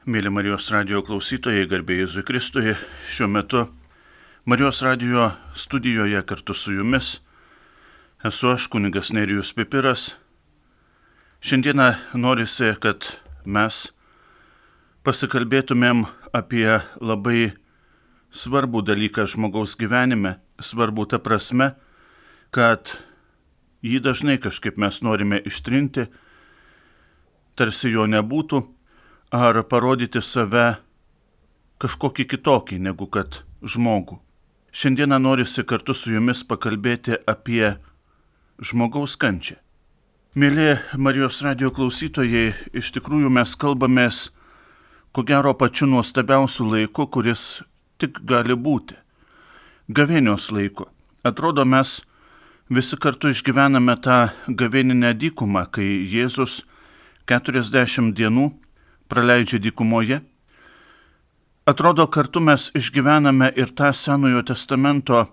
Mėly Marijos radijo klausytojai, garbė Jėzui Kristui, šiuo metu Marijos radijo studijoje kartu su jumis esu aš, kunigas Nerijus Pipiras. Šiandieną norisi, kad mes pasikalbėtumėm apie labai svarbų dalyką žmogaus gyvenime, svarbų ta prasme, kad jį dažnai kažkaip mes norime ištrinti, tarsi jo nebūtų, ar parodyti save kažkokį kitokį negu kad žmogų. Šiandieną norisi kartu su jumis pakalbėti apie žmogaus kančią. Mėly Marijos radijo klausytojai, iš tikrųjų mes kalbamės ko gero pačiu nuostabiausiu laiku, kuris tik gali būti. Gavėnios laiku. Atrodo, mes visi kartu išgyvename tą gavėninę dykumą, kai Jėzus 40 dienų praleidžia dykumoje. Atrodo, kartu mes išgyvename ir tą Senojo testamento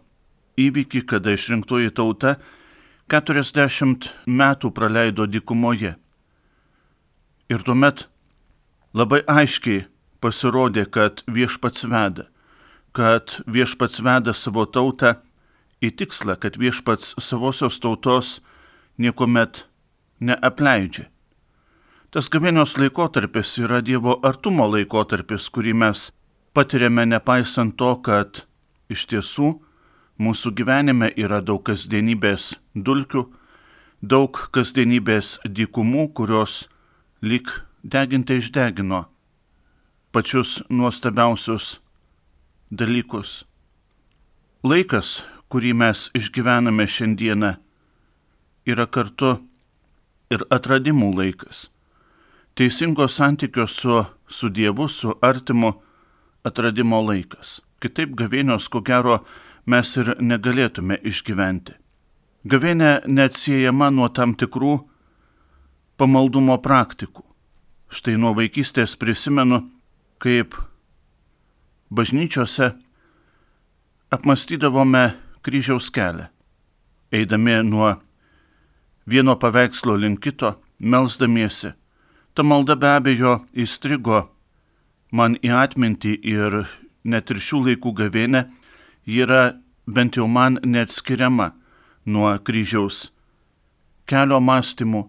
įvykį, kada išrinktoji tauta 40 metų praleido dykumoje. Ir tuomet labai aiškiai pasirodė, kad Viešpats veda savo tautą į tikslą, kad Viešpats savosios tautos niekuomet neapleidžia. Tas gavėnios laikotarpis yra Dievo artumo laikotarpis, kurį mes patiriame nepaisant to, kad iš tiesų mūsų gyvenime yra daug kasdienybės dulkių, daug kasdienybės dykumų, kurios lyg deginti išdegino pačius nuostabiausius dalykus. Laikas, kurį mes išgyvename šiandieną, yra kartu ir atradimų laikas. Teisingo santykio su Dievu, su artimu atradimo laikas. Kitaip gavėnios, ko gero, mes ir negalėtume išgyventi. Gavėnė neatsiejama nuo tam tikrų pamaldumo praktikų. Štai nuo vaikystės prisimenu, kaip bažnyčiose apmąstydavome kryžiaus kelią, eidami nuo vieno paveikslo link kito, melsdamiesi. Ta malda be abejo įstrigo man į atmintį ir net ir šių laikų gavėnė yra bent jau man neatskiriama nuo kryžiaus kelio mąstymų,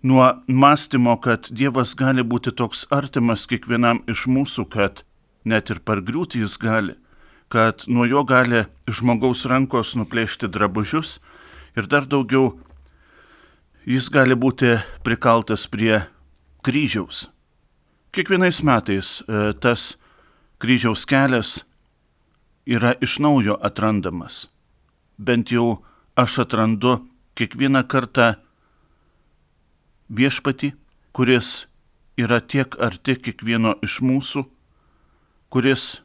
nuo mąstymo, kad Dievas gali būti toks artimas kiekvienam iš mūsų, kad net ir pargriūti jis gali, kad nuo jo gali žmogaus rankos nuplėšti drabužius ir dar daugiau jis gali būti prikaltas prie kryžiaus. Kiekvienais metais tas kryžiaus kelias yra iš naujo atrandamas. Bent jau aš atrandu kiekvieną kartą Viešpatį, kuris yra tiek arti kiekvieno iš mūsų, kuris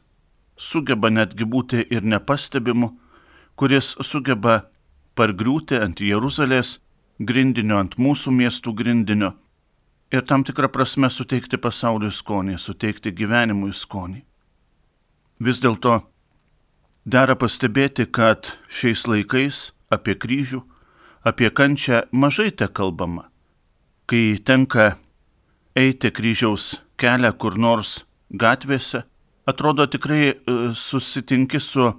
sugeba netgi būti ir nepastebimu, kuris sugeba pargriūti ant Jeruzalės grindinio, ant mūsų miestų grindinio, ir tam tikrą prasme suteikti pasauliui skonį, suteikti gyvenimui skonį. Vis dėlto dera pastebėti, kad šiais laikais apie kryžių, apie kančią mažai te kalbama. Kai tenka eiti kryžiaus kelią kur nors gatvėse, atrodo tikrai susitinki su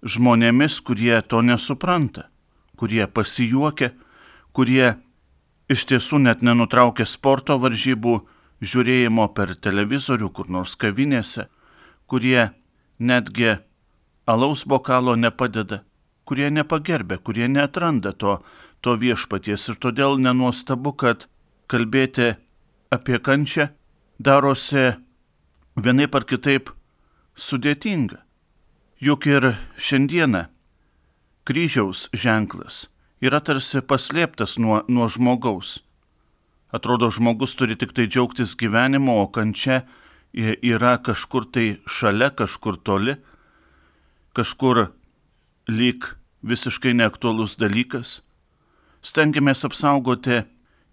žmonėmis, kurie to nesupranta, kurie pasijuokia, kurie iš tiesų net nenutraukia sporto varžybų žiūrėjimo per televizorių kur nors kavinėse, kurie netgi alaus bokalo nepadeda, kurie nepagerbia, kurie neatranda to Viešpaties. Ir todėl nenuostabu, kad kalbėti apie kančią darosi vienaip ar kitaip sudėtinga. Juk ir šiandieną kryžiaus ženklas yra tarsi paslėptas nuo žmogaus. Atrodo, žmogus turi tik tai džiaugtis gyvenimu, o kančia yra kažkur tai šalia, kažkur toli, kažkur lyg visiškai neaktualus dalykas. Stengiamės apsaugoti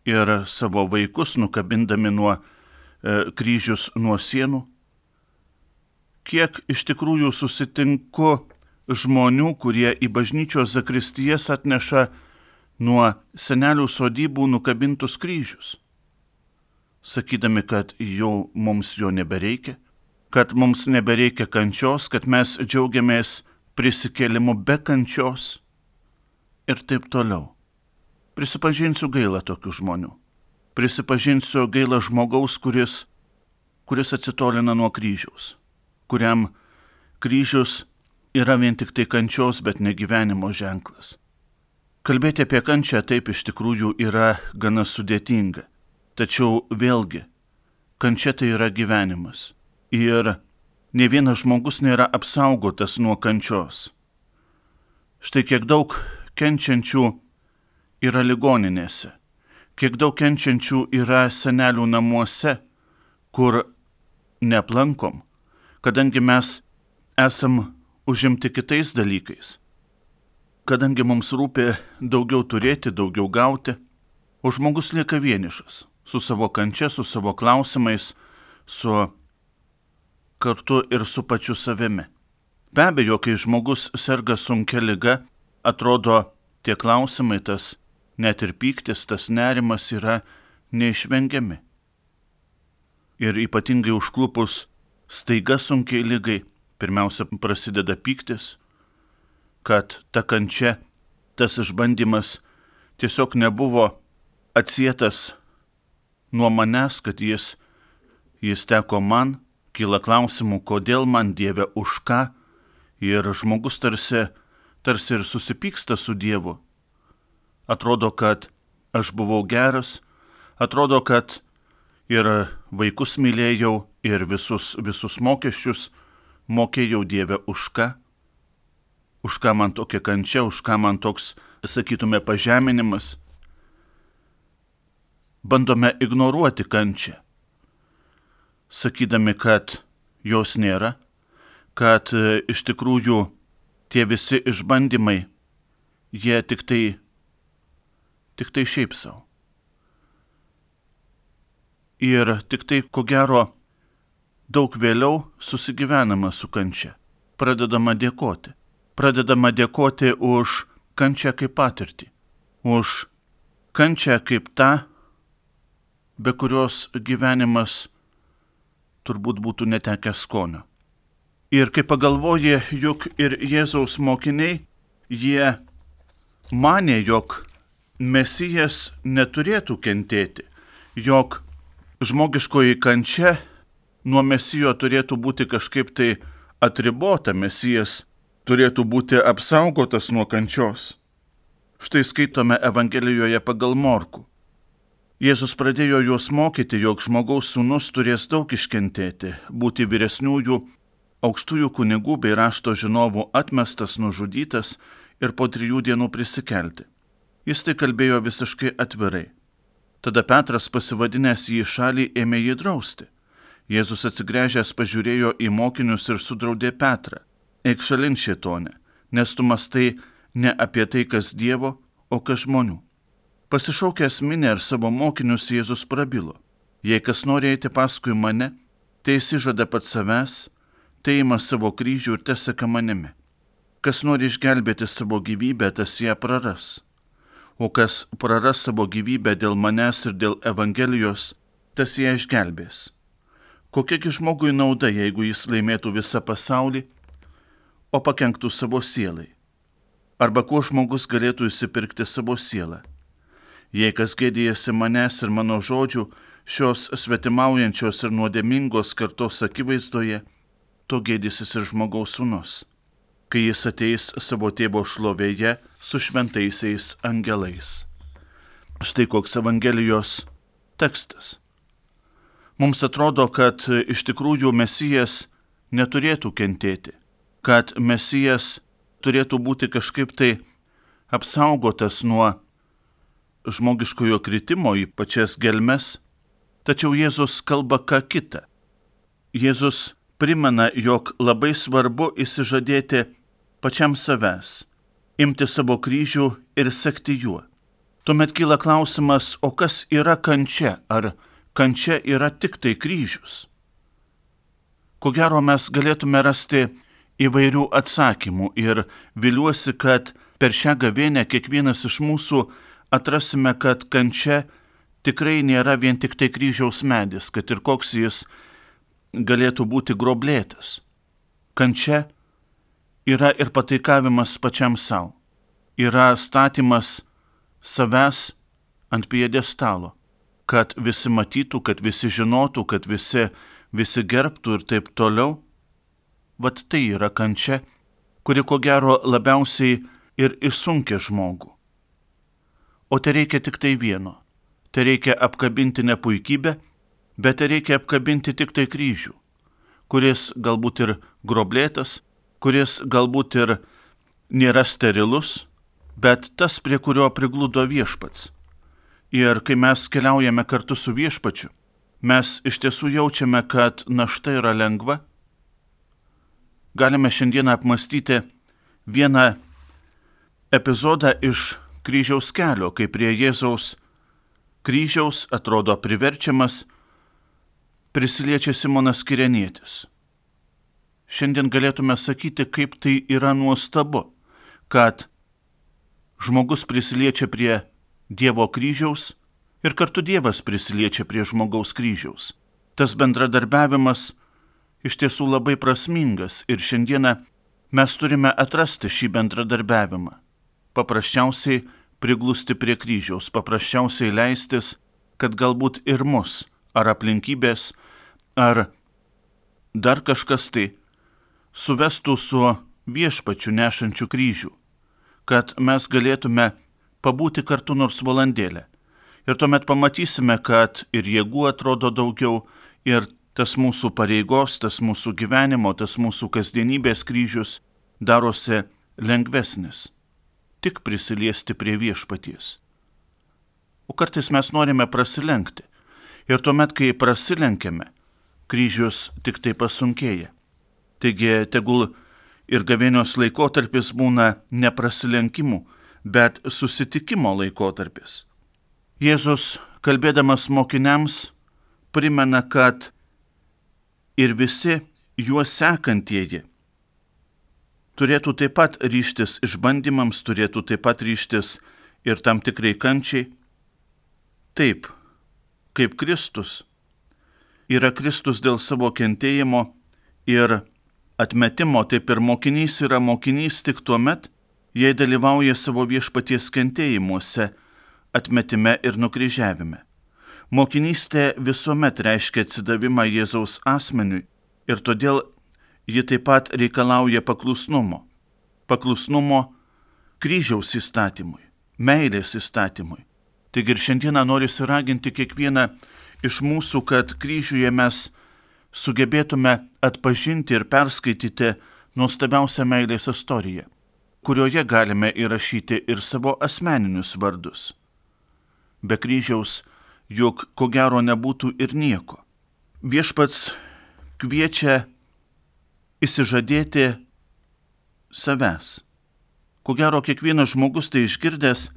ir savo vaikus, nukabindami kryžius nuo sienų. Kiek iš tikrųjų susitinku žmonių, kurie į bažnyčios zakristijas atneša nuo senelių sodybų nukabintus kryžius. sakydami, kad jau mums jo nebereikia, kad mums nebereikia kančios, kad mes džiaugiamės prisikėlimu be kančios ir taip toliau. Prisipažinsiu gaila tokių žmonių. Prisipažinsiu gaila žmogaus, kuris atsitolina nuo kryžiaus, kuriam kryžius yra vien tik tai kančios, bet ne gyvenimo ženklas. Kalbėti apie kančią taip iš tikrųjų yra gana sudėtinga. Tačiau vėlgi, kančia tai yra gyvenimas. Ir ne vienas žmogus nėra apsaugotas nuo kančios. Štai kiek daug kenčiančių yra ligoninėse, kiek daug kenčiančių yra senelių namuose, kur neaplankom, kadangi mes esam užimti kitais dalykais, kadangi mums rūpi daugiau turėti, daugiau gauti, o žmogus lieka vienišas, su savo kančia, su savo klausimais, su kartu ir su pačiu savimi. Be abejo, kai žmogus serga sunkia liga, atrodo tie klausimai, tas net ir pyktis, tas nerimas yra neišvengiami. Ir ypatingai užklupus staiga sunkiai ligai, pirmiausia prasideda pyktis, kad ta kančia, tas išbandymas tiesiog nebuvo atsietas nuo manęs, kad jis teko man, kyla klausimų, kodėl man, Dieve, už ką, ir žmogus tarsi ir susipyksta su Dievu. Atrodo, kad aš buvau geras, atrodo, kad ir vaikus mylėjau, ir visus mokesčius mokėjau, Dieve, už ką man tokia kančia, už ką man toks, sakytume, pažeminimas. Bandome ignoruoti kančią, sakydami, kad jos nėra, kad iš tikrųjų tie visi išbandymai, jie tik tai šiaip savo. Ir tik tai, ko gero, daug vėliau susigyvenama su kančia. Pradedama dėkoti už kančią kaip patirtį, už kančią kaip tą, be kurios gyvenimas turbūt būtų netekęs skonio. Ir kai pagalvoji, juk ir Jėzaus mokiniai, jie manė, jog Mesijas neturėtų kentėti, jog žmogiškoji kančia nuo Mesijo turėtų būti kažkaip tai atribota, Mesijas turėtų būti apsaugotas nuo kančios. Štai skaitome Evangelijoje pagal Morkų. Jėzus pradėjo juos mokyti, jog žmogaus sūnus turės daug iškentėti, būti vyresniųjų, aukštųjų kunigų bei rašto žinovų atmestas, nužudytas ir po 3 dienų prisikelti. Jis tai kalbėjo visiškai atvirai. Tada Petras, pasivadinęs jį į šalį, ėmė jį drausti. Jėzus atsigręžęs pažiūrėjo į mokinius ir sudraudė Petrą. Eik šalin, šėtone, nes tu mąstai ne apie tai, kas Dievo, o kas žmonių. Pasišaukęs minią ir savo mokinius, Jėzus prabilo. Jei kas nori eiti paskui mane, tai išsižada pats savęs, tai ima savo kryžių ir teseka manimi. Kas nori išgelbėti savo gyvybę, tas ją praras. O kas praras savo gyvybę dėl manęs ir dėl Evangelijos, tas ją išgelbės. Kokiagi žmogui nauda, jeigu jis laimėtų visą pasaulį, o pakenktų savo sielai? Arba kuo žmogus galėtų įsipirkti savo sielą? Jei kas gėdijasi manęs ir mano žodžių, šios svetimaujančios ir nuodėmingos kartos akivaizdoje, to gėdysis ir žmogaus sūnus, kai jis ateis savo tėvo šlovėje su šventaisiais angelais. Štai koks Evangelijos tekstas. Mums atrodo, kad iš tikrųjų Mesijas neturėtų kentėti, kad Mesijas turėtų būti kažkaip tai apsaugotas nuo žmogiškojo kritimo į pačias gelmes, tačiau Jėzus kalba ką kita. Jėzus primena, jog labai svarbu išsižadėti pačiam savęs, imti savo kryžių ir sekti juo. Tuomet kyla klausimas, o kas yra kančia? Ar kančia yra tik tai kryžius? Ko gero mes galėtume rasti įvairių atsakymų ir viliuosi, kad per šią gavėnią kiekvienas iš mūsų atrasime, kad kančia tikrai nėra vien tik tai kryžiaus medis, kad ir koks jis galėtų būti groblėtas. Kančia yra ir pataikavimas pačiam savo, yra statymas savęs ant piedestalo, kad visi matytų, kad visi žinotų, kad visi gerbtų ir taip toliau. Vat tai yra kančia, kuri ko gero labiausiai ir išsunkia žmogų. O tai reikia tik tai vieno. Tai reikia apkabinti ne puikybę, bet tai reikia apkabinti tik tai kryžių, kuris galbūt ir groblėtas, kuris galbūt ir nėra sterilus, bet tas, prie kurio prigludo viešpats. Ir kai mes keliaujame kartu su viešpačiu, mes iš tiesų jaučiame, kad našta yra lengva. Galime šiandieną apmastyti vieną epizodą iš kryžiaus kelio, kai prie Jėzaus kryžiaus atrodo priverčiamas prisiliečia Simonas Kirenietis. Šiandien galėtume sakyti, kaip tai yra nuostabu, kad žmogus prisiliečia prie Dievo kryžiaus ir kartu Dievas prisiliečia prie žmogaus kryžiaus. Tas bendradarbiavimas iš tiesų labai prasmingas ir šiandieną mes turime atrasti šį bendradarbiavimą. Paprasčiausiai priglusti prie kryžiaus, paprasčiausiai leistis, kad galbūt ir mus, ar aplinkybės, ar dar kažkas tai suvestų su viešpačiu nešančiu kryžių, kad mes galėtume pabūti kartu nors valandėlę. Ir tuomet pamatysime, kad ir jėgų atrodo daugiau, ir tas mūsų pareigos, tas mūsų gyvenimo, tas mūsų kasdienybės kryžius darosi lengvesnis. Tik prisiliesti prie viešpaties. O kartais mes norime prasilenkti. Ir tuomet, kai prasilenkiame, kryžius tik tai pasunkėja. Taigi, tegul ir gavėnios laikotarpis būna ne prasilenkimų, bet susitikimo laikotarpis. Jėzus, kalbėdamas mokiniams, primena, kad ir visi juos sekantieji turėtų taip pat ryžtis išbandymams, turėtų taip pat ryžtis ir tam tikrai kančiai. Taip, kaip Kristus yra Kristus dėl savo kentėjimo ir atmetimo, taip ir mokinys yra mokinys tik tuomet, jei dalyvauja savo viešpaties kentėjimuose, atmetime ir nukryžiavime. Mokinystė visuomet reiškia atsidavimą Jėzaus asmeniui ir todėl ji taip pat reikalauja paklusnumo. Paklusnumo kryžiaus įstatymui, meilės įstatymui. Taigi ir šiandieną noriu raginti kiekvieną iš mūsų, kad kryžiuje mes sugebėtume atpažinti ir perskaityti nuostabiausią meilės istoriją, kurioje galime įrašyti ir savo asmeninius vardus. Be kryžiaus juk ko gero nebūtų ir nieko. Viešpats kviečia išsižadėti savęs. Ko gero kiekvienas žmogus tai išgirdęs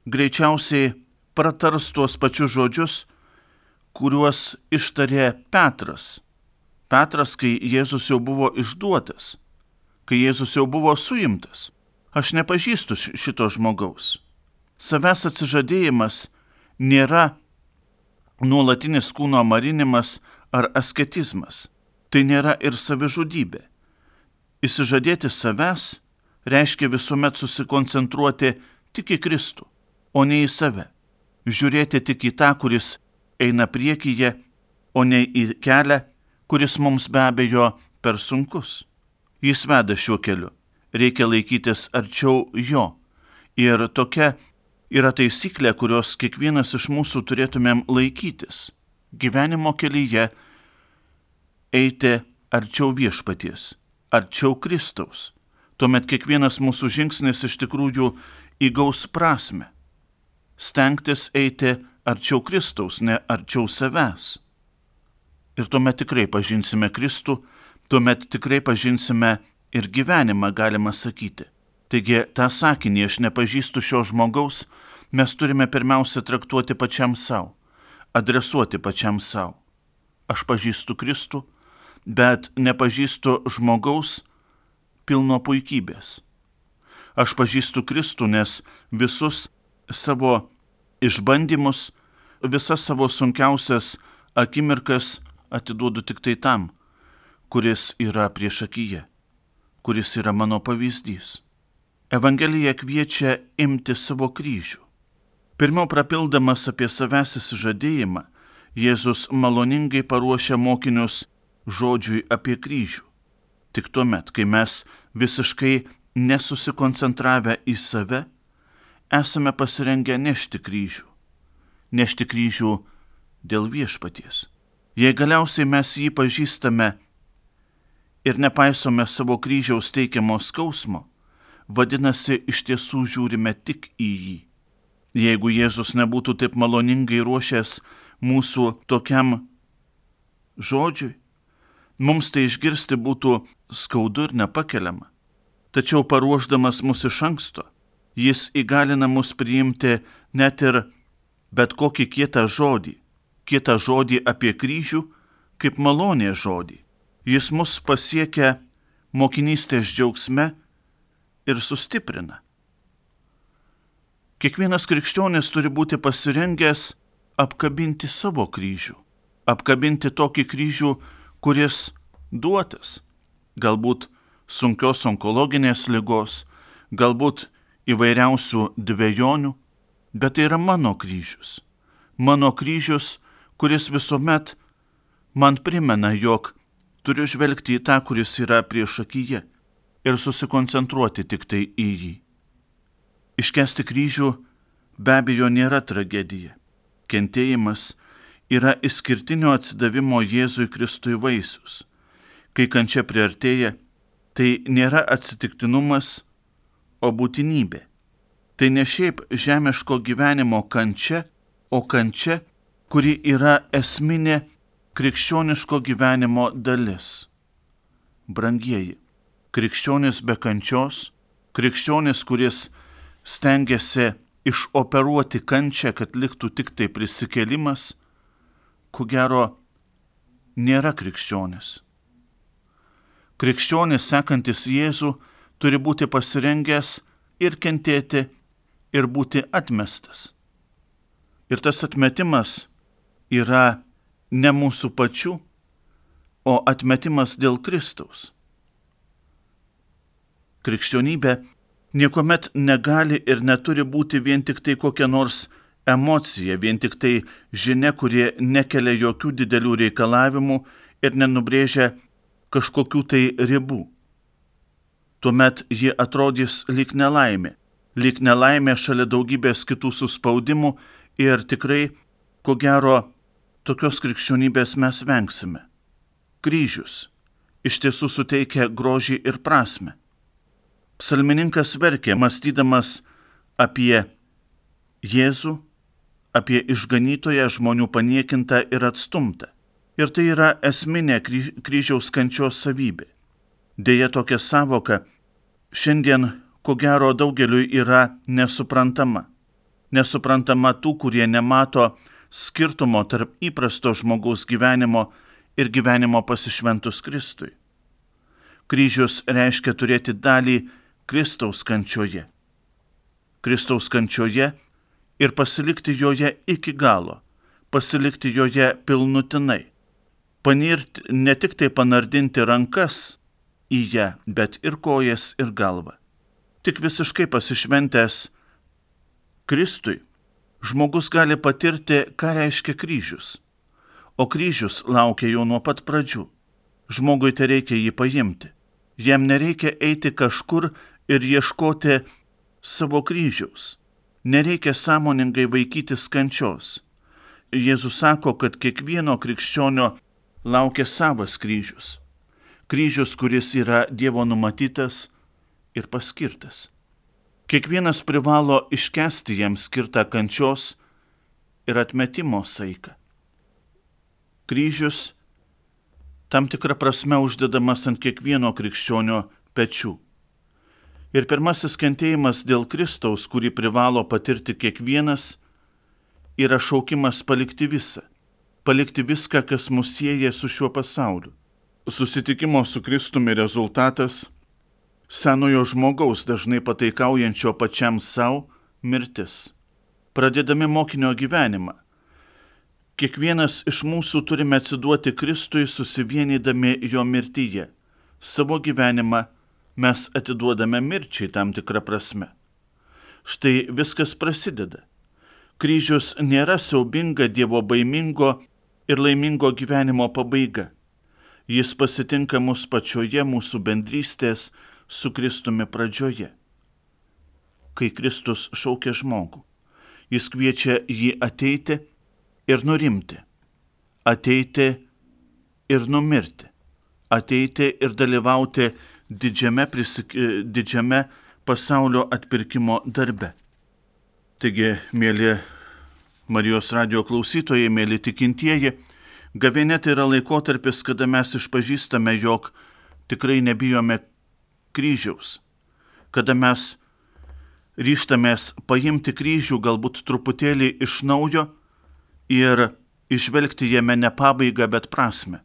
greičiausiai pratars tuos pačius žodžius, kuriuos ištarė Petras. Petras, kai Jėzus jau buvo išduotas, kai Jėzus jau buvo suimtas. Aš nepažįstu šito žmogaus. Savęs atsižadėjimas nėra nuolatinis kūno marinimas ar asketizmas. Tai nėra ir savižudybė. Išsižadėti savęs reiškia visuomet susikoncentruoti tik į Kristų, o ne į save. Žiūrėti tik į tą, kuris eina priekyje, o ne į kelią, kuris mums be abejo per sunkus. Jis veda šiuo keliu. Reikia laikytis arčiau jo. Ir tokia yra taisyklė, kurios kiekvienas iš mūsų turėtumėm laikytis. Gyvenimo kelyje eiti arčiau viešpaties, arčiau Kristaus. Tuomet kiekvienas mūsų žingsnis iš tikrųjų įgaus prasmę. Stengtis eiti arčiau Kristaus, ne arčiau savęs. Ir tuomet tikrai pažinsime Kristų, tuomet tikrai pažinsime ir gyvenimą, galima sakyti. Taigi tą sakinį, aš nepažįstu šio žmogaus, mes turime pirmiausia traktuoti pačiam savo, adresuoti pačiam savo. Aš pažįstu Kristų, bet nepažįstu žmogaus pilno puikybės. Aš pažįstu Kristų, nes visus savo išbandymus, visas savo sunkiausias akimirkas atiduodu tik tai tam, kuris yra priešakyje, kuris yra mano pavyzdys. Evangelija kviečia imti savo kryžių. Pirmiau prapildamas apie savęs išsižadėjimą, Jėzus maloningai paruošia mokinius žodžiui apie kryžių. Tik tuomet, kai mes visiškai nesusikoncentravę į save, esame pasirengę nešti kryžių. Nešti kryžių dėl viešpaties. Jei galiausiai mes jį pažįstame ir nepaisome savo kryžiaus teikiamo skausmo, vadinasi, iš tiesų žiūrime tik į jį. Jeigu Jėzus nebūtų taip maloningai ruošęs mūsų tokiam žodžiui, mums tai išgirsti būtų skaudu ir nepakeliama. Tačiau paruošdamas mus iš anksto, jis įgalina mus priimti net ir bet kokį kietą žodį apie kryžių, kaip malonės žodį. Jis mus pasiekia mokinystės džiaugsme ir sustiprina. Kiekvienas krikščionis turi būti pasirengęs apkabinti savo kryžių, apkabinti tokį kryžių, kuris duotas, galbūt sunkios onkologinės ligos, galbūt įvairiausių dvejonių, bet tai yra mano kryžius. Mano kryžius, kuris visuomet man primena, jog turiu žvelgti į tą, kuris yra priešakyje ir susikoncentruoti tik tai į jį. Iškęsti kryžių be abejo nėra tragedija. Kentėjimas yra išskirtinio atsidavimo Jėzui Kristui vaisius. Kai kančia priartėja, tai nėra atsitiktinumas, o būtinybė. Tai ne šiaip žemiško gyvenimo kančia, o kančia, kuri yra esminė krikščioniško gyvenimo dalis. Brangieji, krikščionis be kančios, krikščionis, kuris stengiasi išoperuoti kančią, kad liktų tik tai prisikėlimas, ko gero, nėra krikščionis. Krikščionis, sekantis Jėzų, turi būti pasirengęs ir kentėti, ir būti atmestas. Ir tas atmetimas yra ne mūsų pačių, o atmetimas dėl Kristaus. Krikščionybė niekuomet negali ir neturi būti vien tik tai kokia nors emocija, vien tik tai žinia, kurie nekelia jokių didelių reikalavimų ir nenubrėžia kažkokių tai ribų. Tuomet ji atrodys lyg nelaimė šalia daugybės kitų suspaudimų ir tikrai, ko gero, tokios krikščionybės mes vengsime. Kryžius iš tiesų suteikia grožį ir prasmę. Psalmininkas verkė, mąstydamas apie Jėzų, apie išganytoją, žmonių paniekintą ir atstumtą. Ir tai yra esminė kryžiaus kančios savybė. Deja, tokia savoka šiandien, ko gero, daugeliui yra nesuprantama. Nesuprantama tų, kurie nemato skirtumo tarp įprasto žmogaus gyvenimo ir gyvenimo pasišventus Kristui. Kryžius reiškia turėti dalį Kristaus kančioje. Kristaus kančioje ir pasilikti joje iki galo, pasilikti joje pilnutinai. Panirti, ne tik tai panardinti rankas į ją, bet ir kojas ir galvą. Tik visiškai pasišventęs Kristui, žmogus gali patirti, ką reiškia kryžius. O kryžius laukia jau nuo pat pradžių. Žmogui tai reikia jį paimti. Jam nereikia eiti kažkur ir ieškoti savo kryžiaus. Nereikia sąmoningai vaikytis kančios. Jėzus sako, kad kiekvieno krikščionio laukia savas kryžius. Kryžius, kuris yra Dievo numatytas ir paskirtas. Kiekvienas privalo iškęsti jam skirtą kančios ir atmetimo saiką. Kryžius tam tikrą prasme uždedamas ant kiekvieno krikščionio pečių. Ir pirmasis kentėjimas dėl Kristaus, kurį privalo patirti kiekvienas, yra šaukimas palikti visą. Palikti viską, kas mus sieja su šiuo pasauliu. Susitikimo su Kristumi rezultatas – senojo žmogaus, dažnai pataikaujančio pačiam savo, mirtis. Pradėdami mokinio gyvenimą, Kiekvienas iš mūsų turime atsiduoti Kristui, susivienydami jo mirtyje. Savo gyvenimą mes atiduodame mirčiai tam tikrą prasme. Štai viskas prasideda. Kryžius nėra siaubinga, dievo baimingo ir laimingo gyvenimo pabaiga. Jis pasitinka mus pačioje mūsų bendrystės su Kristumi pradžioje. Kai Kristus šaukia žmogų, jis kviečia jį ateiti ir nurimti, ateiti ir numirti, ateiti ir dalyvauti didžiame pasaulio atpirkimo darbe. Taigi, mėly Marijos radijo klausytojai, mėly tikintieji, gavėnia tai yra laikotarpis, kada mes išpažįstame, jog tikrai nebijome kryžiaus, kada mes ryžtamės paimti kryžių galbūt truputėlį iš naujo ir išvelgti jame ne pabaigą, bet prasme.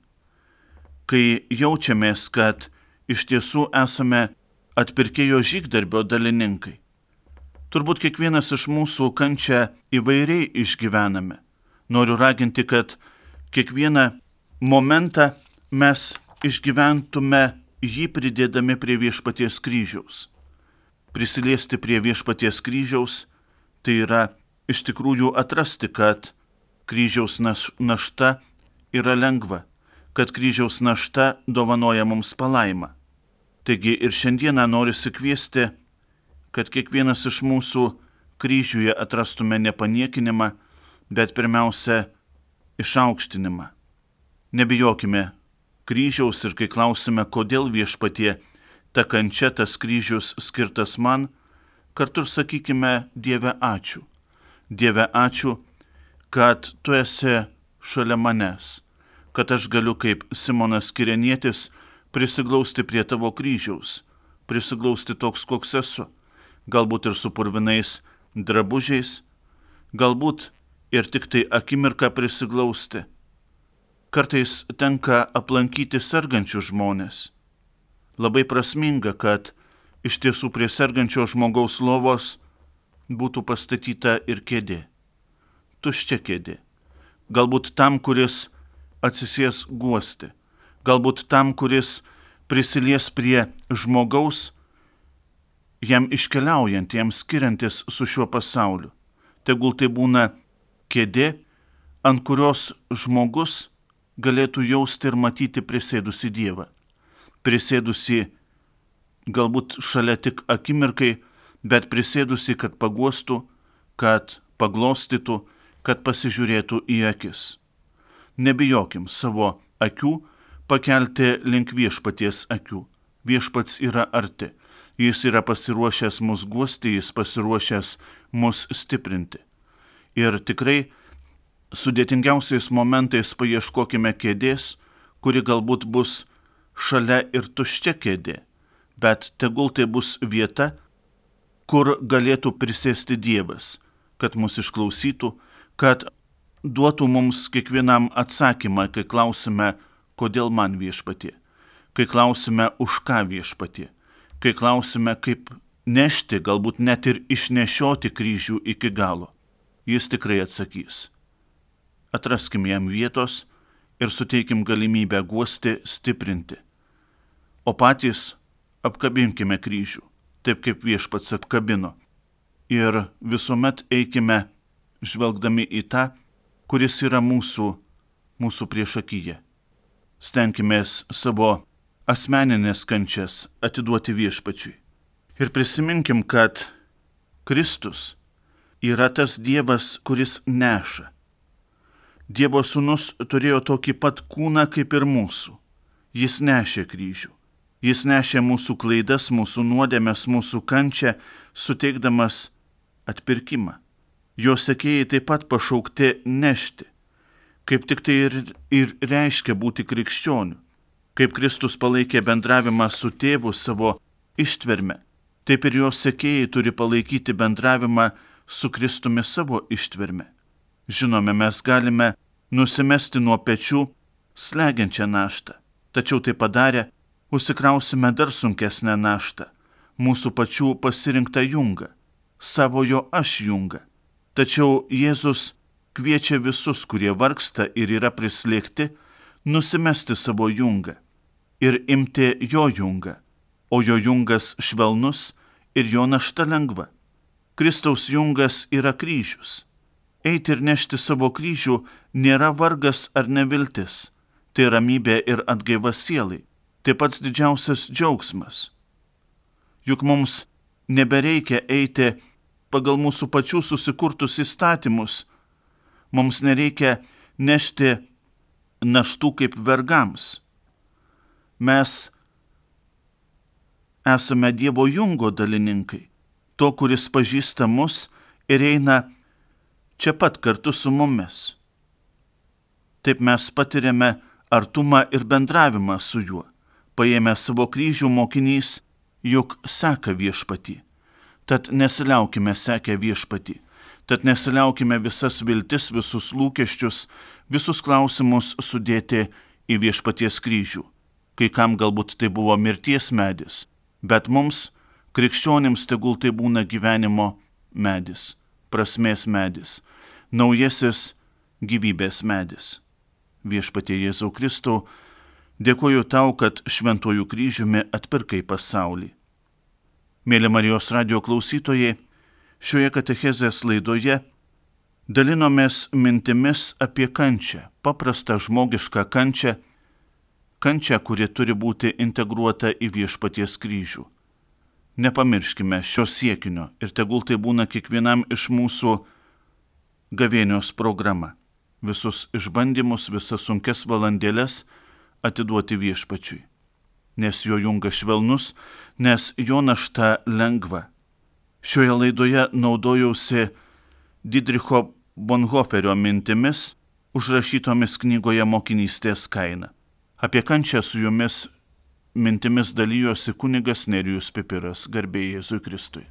Kai jaučiamės, kad iš tiesų esame atpirkėjo žygdarbio dalininkai. Turbūt kiekvienas iš mūsų kančią įvairiai išgyvename. Noriu raginti, kad kiekvieną momentą mes išgyventume jį pridėdami prie viešpaties kryžiaus. Prisiliesti prie viešpaties kryžiaus, tai yra iš tikrųjų atrasti, kad kryžiaus našta yra lengva, kad kryžiaus našta dovanoja mums palaimą. Taigi ir šiandieną norisi kviesti, kad kiekvienas iš mūsų kryžiuje atrastume ne paniekinimą, bet pirmiausia išaukštinimą. Nebijokime kryžiaus ir kai klausime, kodėl viešpatie ta kančia, tas kryžius skirtas man, kartu ir sakykime Dieve ačiū. Dieve ačiū, kad tu esi šalia manęs, kad aš galiu kaip Simonas Kirenietis prisiglausti prie tavo kryžiaus, prisiglausti toks, koks esu, galbūt ir su purvinais drabužiais, galbūt ir tik tai akimirką prisiglausti. Kartais tenka aplankyti sergančius žmones. Labai prasminga, kad iš tiesų prie sergančio žmogaus lovos būtų pastatyta ir kėdė. Tuščia kėdė. Galbūt tam, kuris atsisės guosti. Galbūt tam, kuris prisilies prie žmogaus, jam iškeliaujant, jam skiriantis su šiuo pasauliu. Tegul tai būna kėdė, ant kurios žmogus galėtų jausti ir matyti prisėdusi Dievą. Prisėdusi galbūt šalia tik akimirkai, bet prisėdusi, kad paguostų, kad paglostytų, kad pasižiūrėtų į akis. Nebijokim savo akių pakelti link viešpaties akių. Viešpats yra arti. Jis yra pasiruošęs mus guosti, jis pasiruošęs mus stiprinti. Ir tikrai sudėtingiausiais momentais paieškokime kėdės, kuri galbūt bus šalia ir tuščia kėdė, bet tegul tai bus vieta, kur galėtų prisėsti Dievas, kad mus išklausytų, kad duotų mums kiekvienam atsakymą, kai klausime, kodėl man viešpatie, kai klausime, už ką viešpatie, kai klausime, kaip nešti, galbūt net ir išnešioti kryžių iki galo. Jis tikrai atsakys. Atraskim jam vietos ir suteikim galimybę guosti, stiprinti. O patys apkabinkime kryžių, taip kaip viešpats apkabino. Ir visuomet eikime žvelgdami į tą, kuris yra mūsų priešakyje. Stenkimės savo asmeninės kančias atiduoti viešpačiui. Ir prisiminkim, kad Kristus yra tas Dievas, kuris neša. Dievo sūnus turėjo tokį pat kūną kaip ir mūsų. Jis nešė kryžių. Jis nešė mūsų klaidas, mūsų nuodėmes, mūsų kančią, suteikdamas atpirkimą. Jo sekėjai taip pat pašaukti nešti. Kaip tik tai ir reiškia būti krikščioniu. Kaip Kristus palaikė bendravimą su tėvu savo ištverme, taip ir jo sekėjai turi palaikyti bendravimą su Kristumi savo ištverme. Žinome, mes galime nusimesti nuo pečių slegiančią naštą, tačiau tai padarę, užsikrausime dar sunkesnę naštą, mūsų pačių pasirinktą jungą, savojo aš jungą. Tačiau Jėzus kviečia visus, kurie vargsta ir yra prislėgti, nusimesti savo jungą ir imti jo jungą, o jo jungas švelnus ir jo našta lengva. Kristaus jungas yra kryžius. Eiti ir nešti savo kryžių nėra vargas ar neviltis, tai ramybė ir atgaiva sielai, tai pats didžiausias džiaugsmas. Juk mums nebereikia eiti pagal mūsų pačių susikurtus įstatymus, mums nereikia nešti naštų kaip vergams. Mes esame Dievo jungo dalininkai, to, kuris pažįsta mus ir eina čia pat kartu su mumis. Taip mes patiriame artumą ir bendravimą su juo. Paėmę savo kryžių mokinys juk seka viešpatį. Tad nesiliaukime sekę viešpatį. Tad nesiliaukime visas viltis, visus lūkesčius, visus klausimus sudėti į viešpaties kryžių. Kai kam galbūt tai buvo mirties medis, bet mums, krikščionims, tegul tai būna gyvenimo medis, prasmės medis, naujasis gyvybės medis. Viešpatie Jėzau Kristau, dėkoju tau, kad šventuoju kryžiumi atpirkai pasaulį. Mėly Marijos radijo klausytojai, šioje katechezės laidoje dalinomės mintimis apie kančią, paprastą žmogišką kančią, kuri turi būti integruota į viešpaties kryžių. Nepamirškime šio siekinio ir tegul tai būna kiekvienam iš mūsų gavėnios programa. Visus išbandymus, visas sunkes valandėles atiduoti viešpačiui. Nes jo jungas švelnus, nes jo našta lengva. Šioje laidoje naudojausi Didricho Bonhoefferio mintimis, užrašytomis knygoje Mokinystės kaina. Apie kančią su jumis mintimis dalyjosi kunigas Nerijus Pipiras, garbė Jėzui Kristui.